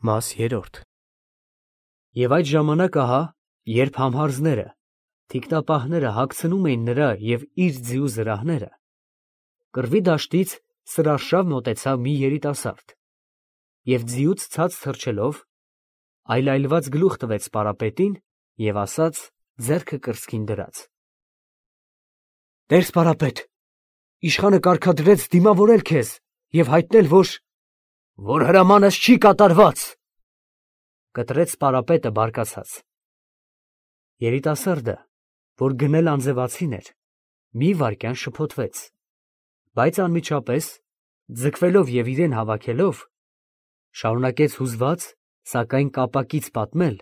Մաս 3 Եվ այդ ժամանակ ահա, երբ համհարզները, թիկնապահները հագցնում էին նրա և իր ձիու զրահները, կռվի դաշտից սրարշավ մոտեցավ մի երիտասարդ և ձիուց ցած թռչելով, այլայլված գլուխ տվեց սպարապետին և ասաց ձեռքը կրծքին դրած. «Տեր սպարապետ, իշխանը կարգադրեց դիմավորել քեզ և հայտնել, որ հրամանս չի կատարված», կտրեց սպարապետը բարկացած։ Երիտասարդը, որ գնել անձևացին էր, մի վայրկյան շփոթվեց, բայց անմիջապես, ձգվելով և իրեն հավաքելով, շարունակեց հուզված, սակայն կապակից պատմել,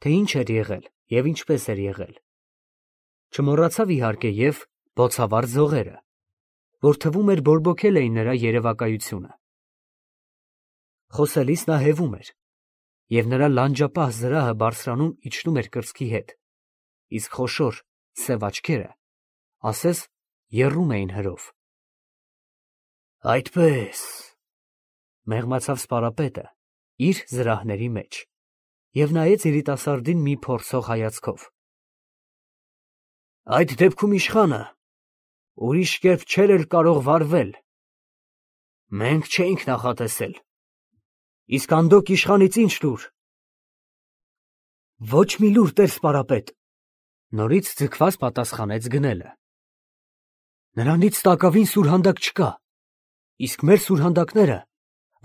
թե ինչ էր եղել և ինչպես էր եղել. չմոռացավ իհարկե և բոցավառ ձողերը, որ թվում էր բորբոքել էին նրա երևակայությունը։ Խոսելիս նա հևում էր, և նրա լանջապահ զրահը բարձրանում֊իջնում էր կրծքի հետ, իսկ խոշոր, սև աչքերը, ասես եռում էին հրով։ «Այդպես», մեղմացավ սպարապետը իր զրահների մեջ և նայեց երիտասարդին մի փորձող հայացքով։ «Այդ դեպքում իշխանը ուրիշ կերպ չէր էլ կարող վարվել. մենք չէինք նախատեսել, իսկ անդոք իշխանից ի՞նչ լուր»։ «Ոչ մի լուր, տեր սպարապետ», նորից ձգված պատասխանեց գնելը։ «Նրանից տակավին սուրհանդակ չկա, իսկ մեր սուրհանդակները,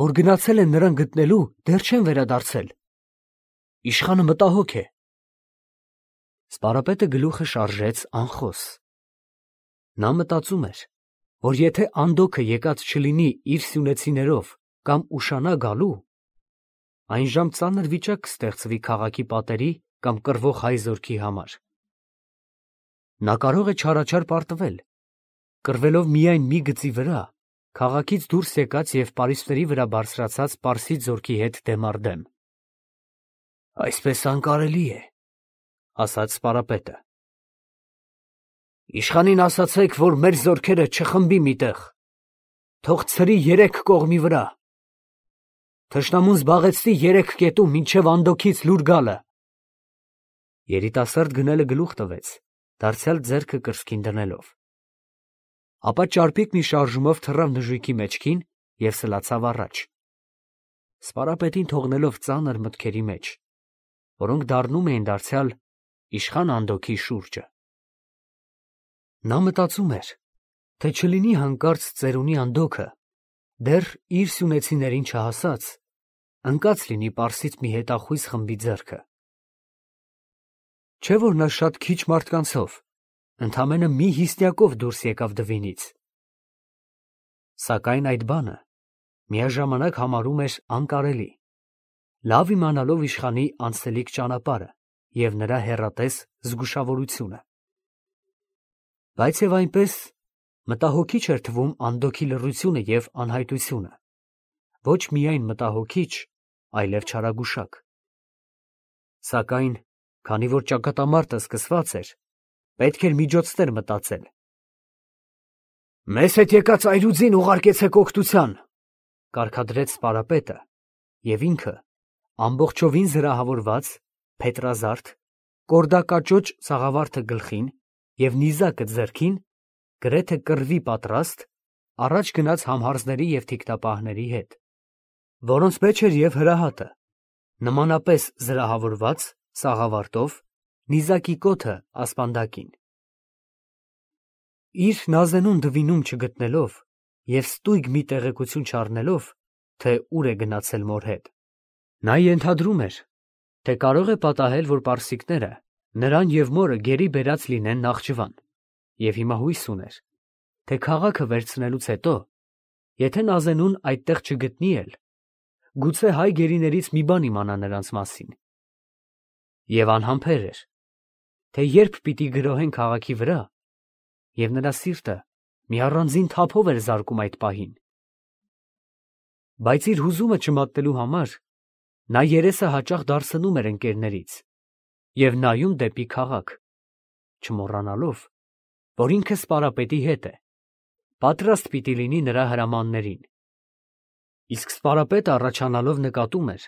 որ գնացել են նրան գտնելու, դեռ չեն վերադարձել. իշխանը մտահոգ է»։ Սպարապետը գլուխը շարժեց անխոս։ Նա մտածում էր, որ եթե Անդոքը եկած չլինի իր սյունեցիներով կամ ուշանա գալու, այնժամ ծանր վիճակ կստեղծվի քաղաքի պատերի կամ կռվող հայ զորքի համար։ Նա կարող է չարաչար պարտվել, կռվելով միայն մի գծի վրա, քաղաքից դուրս եկած և պարիսպների վրա բարձրացած պարսից զորքի հետ դեմ առ դեմ։ «Այսպես անկարելի է», ասաց սպարապետը։ «Իշխանին ասացեք, որ մեր զորքերը չխմբի մի տեղ, թող ցրի երեք կողմի վրա, թշնամուն զբաղեցնի երեք կետում մինչև Անդոքից լուր գալը»։ Երիտասարդ գնելը գլուխ տվեց, դարձյալ ձեռքը կրծքին դնելով։ Ապա ճարպիկ մի շարժումով թռավ նժույգի մեջքին և սլացավ առաջ, սպարապետին թողնելով ծանր մտքերի մեջ, որոնք դառնում էին դարձյալ իշխան Անդոքի շուրջը։ Նա մտածում էր, թե չլինի հանկարծ ծերունի Անդոքը, դեռ իր սյունեցիներին չհասած, ընկած լինի պարսից մի հետախույզ խմբի ձեռքը։ Չէ՞ որ նա շատ քիչ մարդկանցով, ընդամենը մի հիսկյակով դուրս եկավ Դվինից։ Սակայն այդ բանը միաժամանակ համարում էր անկարելի, լավ իմանալով իշխանի անցնելիք ճանապարհը և նրա հեռատես զգուշավորությունը։ Բայց և այնպես մտահոգիչ էր թվում Անդոքի լռությունը և անհայտությունը, ոչ միայն մտահոգիչ, այլև չարագուշակ։ Սակայն, քանի որ ճակատամարտը սկսված էր, պետք էր միջոցներ մտածել։ «Մեզ հետ եկած այրուձին ուղարկեցեք օգնության», կարգադրեց սպարապետը, և ինքը, ամբողջովին զրահավորված, փետրազարդ, կորդակաճոճ սաղավարտը գլխին և նիզակը ձեռքին, գրեթե կռվի պատրաստ, առաջ գնաց համհարզների և թիկնապահների հետ, որոնց մեջ էր և հրահատը, նմանապես զրահավորված, սաղավարտով, նիզակի կոթը ասպանդակին։ Իր նազենուն Դվինում չգտնելով և ստույգ մի տեղեկություն չառնելով, թե ուր է գնացել մոր հետ, նա ենթադրում էր, թե կարող է պատահել, որ պարսիկները նրան և մորը գերի բերած լինեն Նախճիվան, և հիմա հույս ուներ, թե քաղաքը վերցնելուց հետո, եթե նազենուն այդտեղ չգտնի էլ, գուցե հայ գերիներից մի բան իմանա նրանց մասին։ Եվ անհամբեր էր, թե երբ պիտի գրոհեն քաղաքի վրա, և նրա սիրտը մի առանձին թափով էր զարկում այդ պահին։ Բայց իր հուզումը չմատնելու համար նա երեսը հաճախ դարձնում էր ընկերներից և նայում դեպի քաղաք, չմոռանալով, որ ինքը սպարապետի հետ է, պատրաստ պիտի լինի նրա հրամաններին։ Իսկ սպարապետը առաջանալով նկատում էր,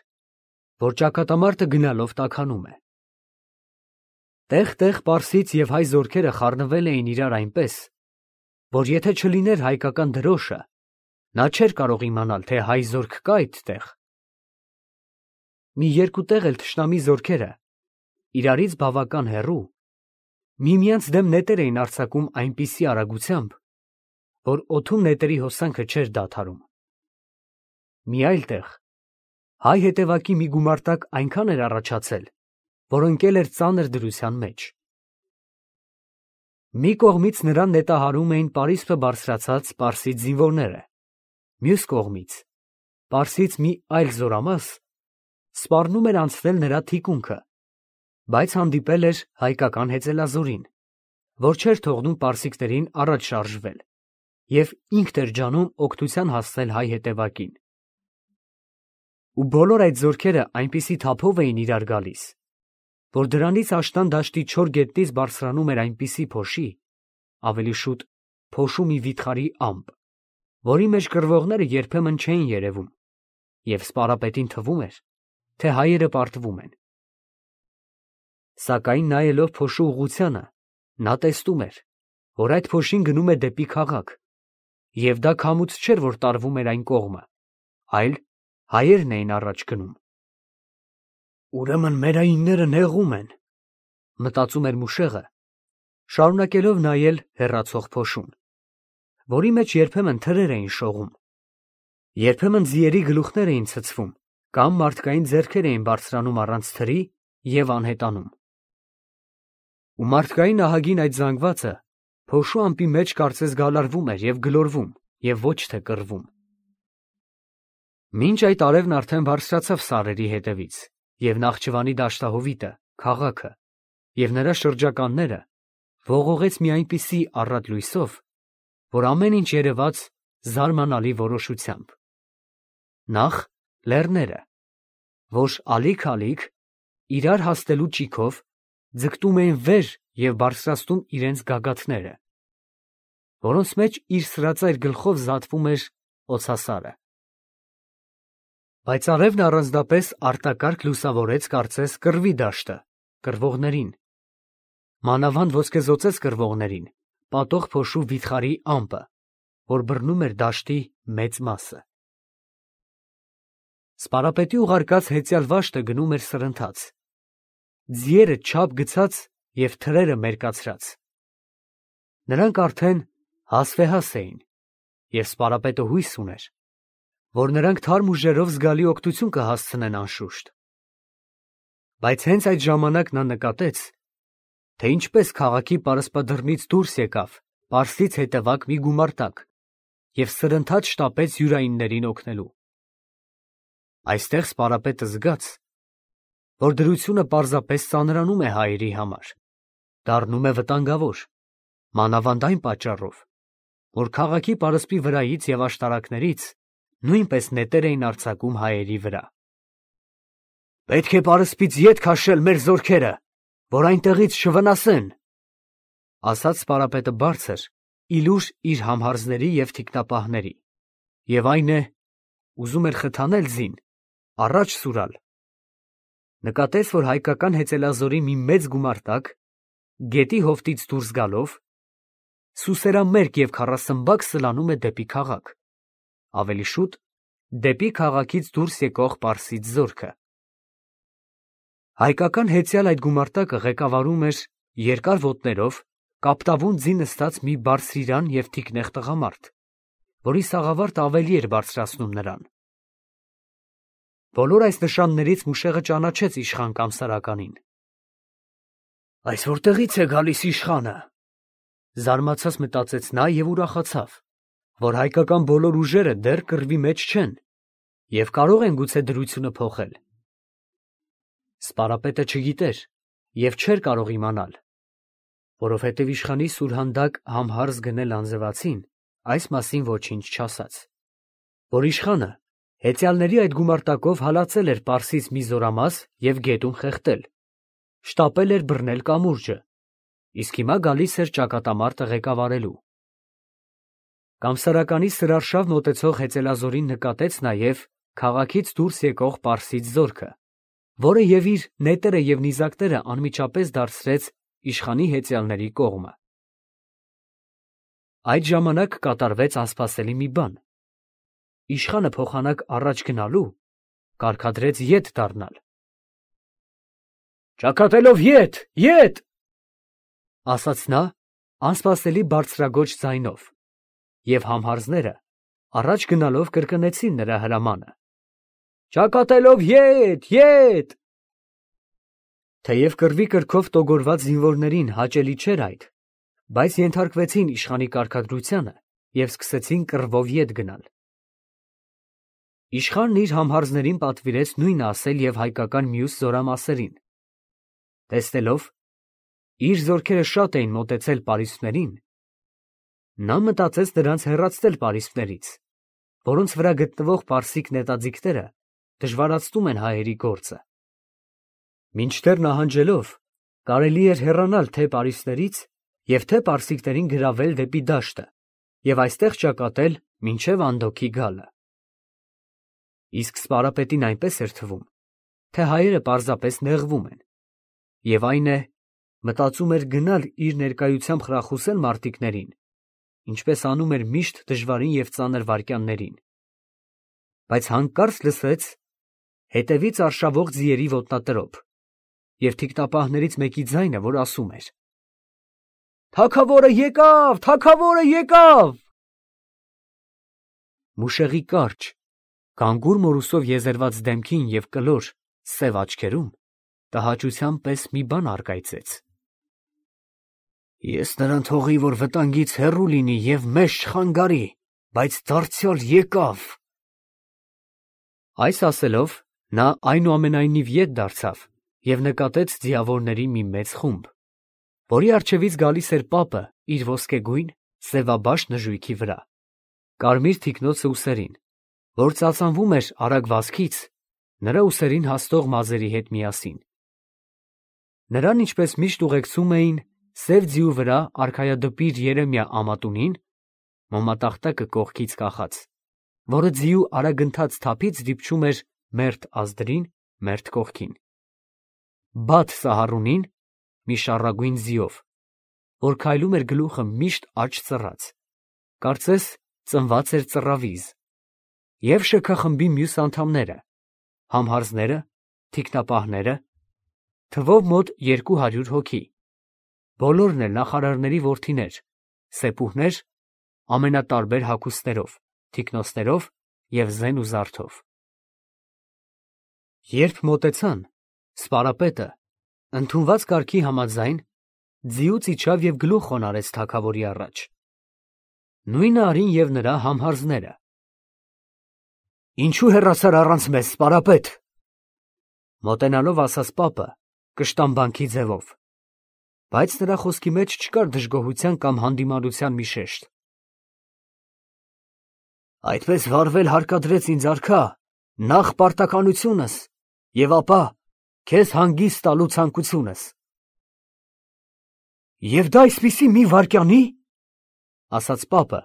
որ ճակատամարտը գնալով տաքանում է։ Տեղ-տեղ պարսից և հայ զորքերը խառնվել էին իրար այնպես, որ եթե չլիներ հայկական դրոշը, նա չէր կարող իմանալ, թե հայ զորք կա այդտեղ։ Մի երկու տեղ էլ թշնամի զորքերը, իրարից բավական հեռու, միմյանց դեմ նետեր էին արձակում այնպիսի արագությամբ, որ օդում նետերի հոսանքը չէր դադարում։ Մի այլ տեղ հայ հետևակի մի գումարտակ այնքան էր առաջացել, որ ընկել էր ծանր դրության մեջ։ Մի կողմից նրան նետահարում էին պարիսպը բարձրացած պարսից զինվորները, մյուս կողմից պարսից մի այլ զորամաս սպառնում էր անցնել նրա թիկունքը, բայց հանդիպել էր հայկական հեծելազորին, որ չէր թողնում պարսիկներին առաջ շարժվել և ինքն էր ջանում օգնության հասցնել հայ հետևակին։ Ու բոլոր այդ զորքերը այնպիսի թափով էին իրար գալիս, որ դրանից աշնան դաշտի չոր գետնից բարձրանում էր այնպիսի փոշի, ավելի շուտ փոշու մի վիթխարի ամպ, որի մեջ կռվողները երբեմն չէին երևում, և սպարապետին թվում էր, թե հայերը պարտվում են։ Սակայն նայելով փոշու ուղղությանը, նա տեսնում էր, որ այդ փոշին գնում է դեպի քաղաք, և դա քամուց չէր, որ տարվում էր այն կողմը, այլ հայերն էին առաջ գնում։ Ուրեմն մերայինները նեղում են, մտածում էր Մուշեղը, շարունակելով նայել հեռացող փոշուն, որի մեջ երբեմն թրեր էին շողում, երբեմն ձիերի գլուխներ էին ցցվում, կամ մարդկային ձեռքեր էին բարձրանում առանց թրի և անհետանում։ Ու մարդկային ահագին այդ զանգվածը փոշու ամպի մեջ կարծես գալարվում էր և գլորվում և ոչ թե կռվում։ Մինչ այդ արևն արդեն բարձրացավ սարերի հետևից, և Նախճիվանի դաշտահովիտը, քաղաքը և նրա շրջականները ողողեց մի այնպիսի առատ լույսով, որ ամեն ինչ երևաց զարմանալի որոշությամբ։ Նախ լեռները, որ ալիք-ալիք, իրար հասնելու ճիգով ձգտում էին վեր և բարձրացնում իրենց գագաթները, որոնց մեջ իր սրածայր գլխով զատվում էր օձասարը։ Բայց արևն առանձնապես արտակարգ լուսավորեց կարծես կռվի դաշտը, կռվողներին, մանավանդ ոսկեզօծես կռվողներին, պատող փոշու վիթխարի ամպը, որ բռնում էր դաշտի մեծ մասը։ Սպարապետի ուղարկած հեծյալ վաշտը գնում էր սրընթաց, ձիերը չափ գցած և թրերը մերկացրած։ Նրանք արդեն հասվեհաս էին, և սպարապետը հույս ուներ, որ նրանք թարմ ուժերով զգալի օգնություն կհասցնեն անշուշտ։ Բայց հենց այդ ժամանակ նա նկատեց, թե ինչպես քաղաքի պարսպադռնից դուրս եկավ պարսից հետևակ մի գումարտակ և սրընթաց շտապեց յուրայիններին օգնելու։ Այստեղ սպարապետը զգաց, որ դրությունը պարզապես ծանրանում է հայերի համար, դառնում է վտանգավոր, մանավանդ այն պատճառով, որ քաղաքի պարսպի վրայից և աշտարակներից նույնպես նետեր էին արձակում հայերի վրա։ «Պետք է պարսպից ետ քաշել մեր զորքերը, որ այնտեղից չվնասեն», ասաց սպարապետը բարձր, ի լուր իր համհարձների և թիկնապահների, և այն է, ուզում էր խթանել ձին, առաջ սուրալ։ Նկատեց, որ հայկական հեծելազորի մի մեծ գումարտակ, գետի հովտից դուրս գալով, սուսերամերկ և քառասմբակ սլանում է դեպի քաղաք, ավելի շուտ դեպի քաղաքից դուրս եկող պարսից զորքը։ Հայկական հեծյալ այդ գումարտակը ղեկավարում էր երկար ոտներով, կապտավուն ձի նստած մի բարձրիրան և թիկնեղ տղամարդ, որի սաղավարտը ավելի էր բարձրացնում նրան։ Բոլոր այս նշաններից Մուշեղը ճանաչեց իշխան Կամսարականին։ «Այս որտեղից է գալիս իշխանը», զարմացած մտածեց նա և ուրախացավ, որ հայկական բոլոր ուժերը դեռ կռվի մեջ չեն և կարող են գուցե դրությունը փոխել։ Սպարապետը չգիտեր և չէր կարող իմանալ, որովհետև իշխանի սուրհանդակ համհարձ գնել անձրևացին այս մասին ոչինչ չասաց, որ իշխանը հեծյալների այդ գումարտակով հալածել էր պարսից մի զորամաս և գետում խեղդել, շտապել էր բռնել կամուրջը, իսկ հիմա գալիս էր ճակատամարտը ղեկավարելու։ Կամսարականի սրարշավ մոտեցող հեծելազորին նկատեց նաև քաղաքից դուրս եկող պարսից զորքը որը և իր նետերը և նիզակները անմիջապես դարձրեց իշխանի հեծյալների կողմը։ Այդ ժամանակ կատարվեց անսպասելի մի բան. իշխանը փոխանակ առաջ գնալու կարգադրեց ետ դառնալ։ «Ճակատելով ետ, ասաց նա անսպասելի բարձրագոչ ձայնով, և համհարզները առաջ գնալով կրկնեցին նրա հրամանը. «Ճակատելով ետ»։ Թեև կռվի կրքով տոգորված զինվորներին հաճելի չէր այդ, բայց ենթարկվեցին իշխանի կարգադրությանը և սկսեցին կռվով ետ գնալ։ Իշխանն իր համհարզներին պատվիրեց նույնը ասել և հայկական մյուս զորամասերին։ Տեսնելով իր զորքերը շատ էին մոտեցել պարիսպներին, նա մտածեց նրանց հեռացնել պարիսպներից, որոնց վրա գտնվող պարսիկ նետաձիգները դժվարացնում են հայերի գործը։ Մինչդեռ նահանջելով կարելի էր հեռանալ թե պարիսպներից և թե պարսիկներին գրավել դեպի դաշտը և այստեղ ճակատել մինչև Անդոքի գալը։ Իսկ Սպարապետին այնպես էր թվում, թե հայերը պարզապես նեղվում են, և այն է, մտածում էր գնալ իր ներկայությամբ խրախուսել մարտիկներին, ինչպես անում էր միշտ դժվարին և ծանր վայրկյաններին, բայց հանկարծ լսեց հետևից արշավող ձիերի ոտնատրոփ և թիկնապահներից մեկի ձայնը, որ ասում էր. «Թագավորը եկավ»։ Մուշեղի կարճ, գանգուր մորուսով եզերված դեմքին և կլոր, սև աչքերում տհաճության պես մի բան առկայծեց։ «Ես նրան թողի, որ վտանգից հեռու լինի և մեզ չխանգարի, բայց դարձյալ եկավ»։ Այս ասելով, նա այնուամենայնիվ ետ դարձավ և նկատեց ձիավորների մի մեծ խումբ, որի առջևից գալիս էր պապը իր ոսկեգույն, սևաբաշ նժույգի վրա, կարմիր թիկնոցը ուսերին, որ ծածանվում էր արագ վազքից նրա ուսերին հասնող մազերի հետ միասին։ Նրան ինչպես միշտ ուղեկցում էին սև ձիու վրա արքայադպիր Երեմիա ամատունին, մոմատախտակը կողքից կախած, որը ձիու արագընթաց թափից դիպչում էր մերթ ազդրին, մերթ կողքին, Բաթ Սահարունին, մի շառագույն ձիով, որ քայլում էր գլուխը միշտ աջ ծռած, կարծես ծնված էր ծռավիզ, և շքախմբի մյուս անդամները, համհարզները, թիկնապահները, թվով մոտ 200 հոգի, բոլորն էլ նախարարների որդիներ, սեպուհներ, ամենատարբեր հագուստներով, թիկնոցներով և զեն ու զարդով։ Երբ մոտեցան, Սպարապետը, ընդունված կարգի համաձայն, ձիուց իջավ և գլուխ խոնարհեց թագավորի առաջ։ Նույնը արին և նրա համհարզները։ «Ինչո՞ւ հեռացար առանց մեզ, Սպարապետ», մոտենալով ասաց պապը կշտամբանքի ձևով, բայց նրա խոսքի մեջ չկար դժգոհության կամ հանդիմանության մի շեշտ։ «Այդպես վարվել հարկադրեց ինձ արքա նախ պարտականությունս և ապա քեզ հանգիստ տալու ցանկությունս»։ «Եվ դա այսպիսի մի վայրկյանի՞», ասաց պապը,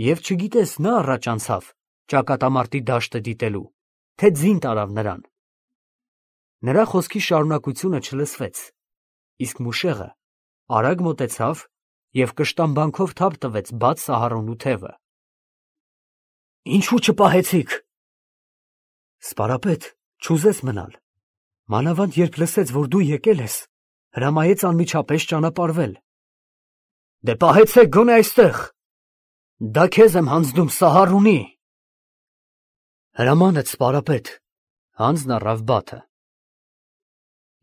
և չգիտես նա առաջ անցավ ճակատամարտի դաշտը դիտելու, թե ձին տարավ նրան։ Նրա խոսքի շարունակությունը չլսվեց, իսկ մուշեղը արագ մոտեցավ և կշտամբանքով թափ տվեց Բաթ Սահարոնու թևը։ «Ինչո՞ւ չպահեցիք»։ Սպարապետ չուզեց մնալ, մանավանդ երբ լսեց, որ դու եկել ես, հրամայեց անմիջապես ճանապարհվել։ «Դե պահեցեք գոնե այստեղ, դա քեզ եմ հանձնում, Սահարունի»։ «Հրամանդ, Սպարապետ», հանձն առավ Բաթը։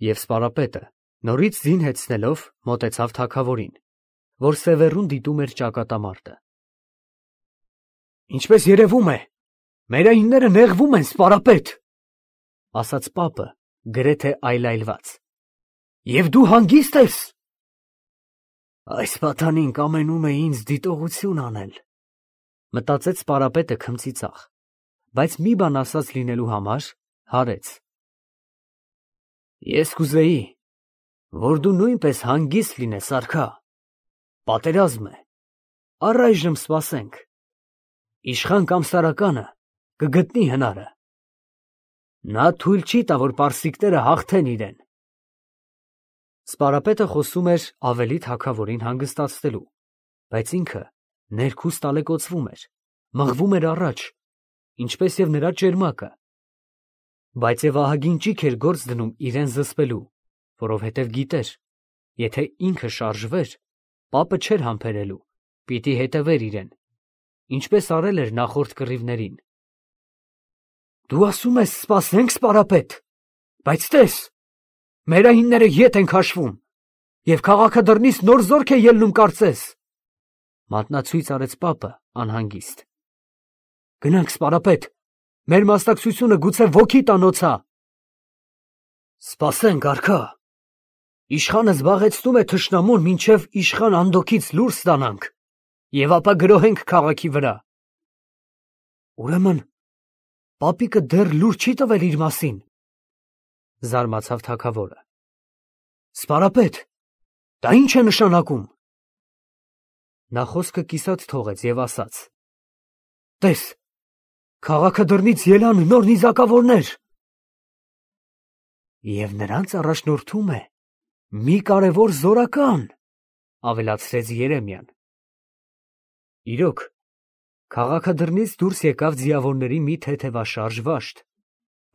Եվ Սպարապետը նորից ձին հեծնելով մոտեցավ թագավորին, որ սևեռուն դիտում էր ճակատամարտը։ «Ինչպես երևում է, մեր այնները նեղվում են, Սպարապետ», ասաց պապը գրեթե այլայլված։ «Եվ դու հանգիստ ես»։ «Այս պատանին կամենում է ինձ դիտողություն անել», մտածեց Սպարապետը քմծիծաղ, բայց մի բան ասած լինելու համար հարեց։ «Ես կուզեի, որ դու նույնպես հանգիստ լինես, արքա, պատերազմ է, առայժմ սպասենք, իշխան կամ Սարականը կգտնի հնարը»։ Նա թույլ չի տա, որ պարսիկները հաղթեն իրեն։ Սպարապետը խոսում էր ավելի թագավորին հանգստացնելու, բայց ինքը ներքուստ ալեկոծվում էր, մղվում էր առաջ, ինչպես և նրա ճերմակը, բայց և ահագին ճիգ էր գործ դնում իրեն զսպելու, որովհետև գիտեր, եթե ինքը շարժվեր, պապը չէր համբերելու, պիտի հետևեր իրեն, ինչպես արել էր նախորդ կռիվներին։ Դու ասում ես սպասենք, սպարապետ, բայց տես, մերայինները ետ են քաշվում, և քաղաքը դռնից նոր զորք է ելնում կարծես, մատնացույց արեց պապը անհանգիստ։ Գնանք, սպարապետ, մեր մասնակցությունը գուցե ոգի տանոցա։ Սպասենք, արքա, իշխանը զբաղեցնում է թշնամուն, մինչև իշխան Անդոքից լուր ստանանք, և ապա գրոհենք քաղաքի վրա։ Ուրեմն պապիկը դեռ լուր չի տվել իր մասին, զարմացավ թագավորը։ Սպարապետ, դա ինչ է նշանակում։ Նա խոսքը կիսատ թողեց և ասաց. Տես, քաղաքը դռնից ելան նոր նիզակավորներ։ Եվ նրանց առաջնորդում է մի կարևոր զորական, ավելացրեց Երեմիան։ Իրոք, քաղաքը դռնից դուրս եկավ ձիավորների մի թեթևաշարժ վաշտ,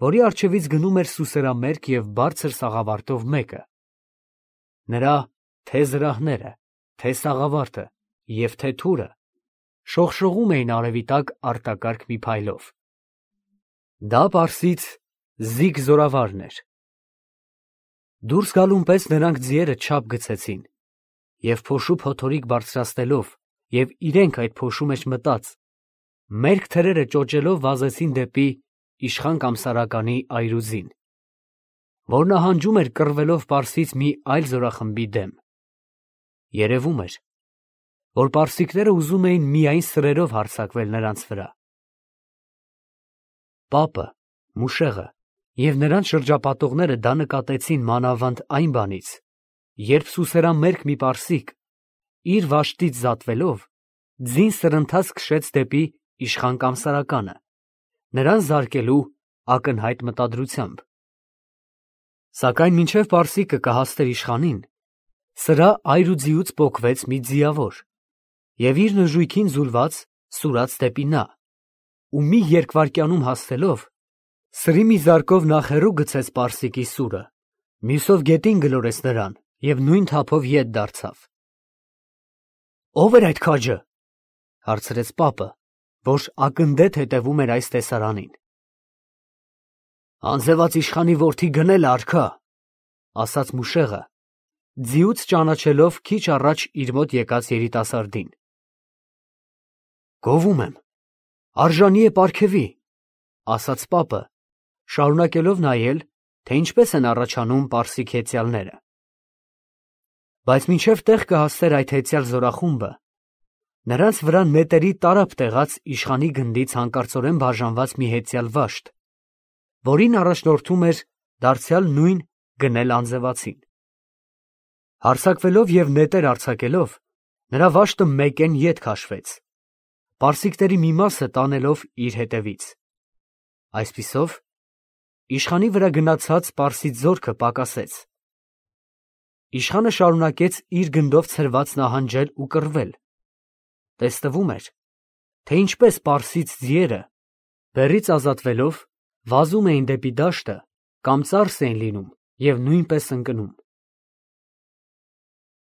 որի առջևից գնում էր սուսերամերկ և բարձր սաղավարտով մեկը։ Նրա թե զրահները, թե սաղավարտը և թե թուրը շողշողում էին արևի տակ արտակարգ մի փայլով։ Դա պարսից Զիգ զորավարն էր։ Դուրս գալուն պես նրանք ձիերը չափ գցեցին և փոշու փոթորիկ բարձրացնելով և իրենք այդ փոշու մեջ մտած, մերկ թրերը ճոճելով վազեցին դեպի իշխան Կամսարականի այրուձին, որ նահանջում էր կռվելով պարսից մի այլ զորախմբի դեմ։ Երևում էր, որ պարսիկները ուզում էին միայն սրերով հարձակվել նրանց վրա։ Պապը, Մուշեղը և նրանց շրջապատողները դա նկատեցին մանավանդ այն բանից, երբ սուսերամերկ մի պարսիկ, իր վաշտից զատվելով, ձին սրընթաց քշեց դեպի իշխան Կամսարականը, նրան զարկելու ակնհայտ մտադրությամբ։ Սակայն մինչև պարսիկը կհասներ իշխանին, սրա այրուձիուց պոկվեց մի ձիավոր և իր նժույգին ձուլված սուրաց դեպի նա, ու մի երկվայրկյանում հասնելով, սրի մի զարկով նախ հեռու գցեց պարսիկի սուրը, մյուսով գետին գլորեց նրան և նույն թափով ետ դարձավ։ Ո՞վ էր այդ քաջը, հարցրեց պապը, որ ակնդետ հետևում էր այս տեսարանին։ Անձևած իշխանի որդի գնելը, արքա, ասաց Մուշեղը, ձիուց ճանաչելով քիչ առաջ իր մոտ եկած երիտասարդին։ Գովում եմ, արժանի է պարգևի, ասաց պապը, շարունակելով նայել, թե ինչպես են առաջանում պարսիկ հեծյալները։ Բայց մինչև տեղ կհասներ այդ հեծյալ զորախումբը, նրանց վրա նետերի տարափ տեղած իշխանի գնդից հանկարծորեն բաժանված մի հեծյալ վաշտ, որին առաջնորդում էր դարձյալ նույն գնել անձևացին։ Հարձակվելով և նետեր արձակելով, նրա վաշտը մեկեն ետ քաշվեց, պարսիկների մի մասը տանելով իր հետևից։ Այսպիսով, իշխանի վրա գնացած պարսից զորքը պակասեց։ Իշխանը շարունակեց իր գնդով ցրված նահանջել ու կռվել։ Տեսնվում էր, թե ինչպես պարսից ձիերը, բեռից ազատվելով, վազում էին դեպի դաշտը կամ ծարս էին լինում և նույնպես ընկնում։